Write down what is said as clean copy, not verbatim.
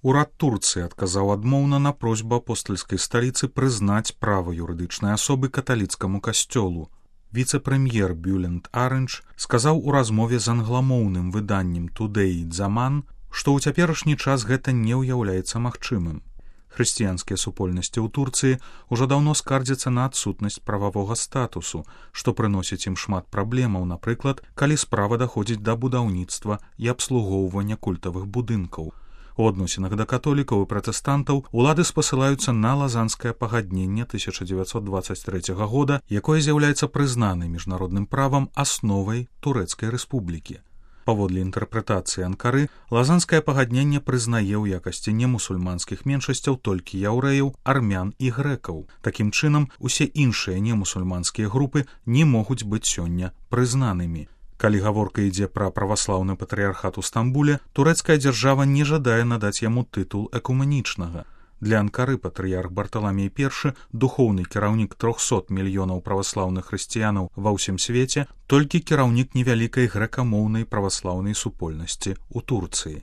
Урад Турцыі адказаў адмоўна на просьбу апостальскай сталіцы прызнаць права юрыдычнай асобы каталіцкаму касцёлу. Віцэ-прэм'ер Бюлент Арендж сказаў у размове з англамоўным выданнем Today Zaman, што ў цяперашні час гэта не ўяўляецца магчымым. Хрысціянскія супольнасці ў Турцыі ўжо даўно скардзяцца на адсутнасць прававога статусу, што прыносіць ім шмат праблемаў, напрыклад, калі справа даходзіць да будаўніцтва і абслугоўвання культавых будынкаў. У адносінах да католікаў і пратэстантаў улады спасылаюцца на лазанскае пагадненне 1923 года, якое з'яўляецца прызнанай міжнародным правам асновай Турэцкай рэспублікі. Паводле інтэрпрэтацыі Анкары, лазанскае пагадненне прызнае ў якасці немусульманскіх меншасцяў толькі яўрэяў, армян і грэкаў. Такім чынам, усе іншыя немусульманскія групы не могуць быць сёння прызнанымі. Калі гаворка ідзе пра праваслаўны патрыярхат у Стамбуле, турэцкая дзяржава не жадае надаць яму тытул экуменічнага. Для Анкары патрыярх Барталамей I, духоўны кіраўнік 300 мільёнаў праваслаўных хрысціянаў ва ўсім свеце, толькі кіраўнік невялікай грэкамоўнай праваслаўнай супольнасці ў Турцыі.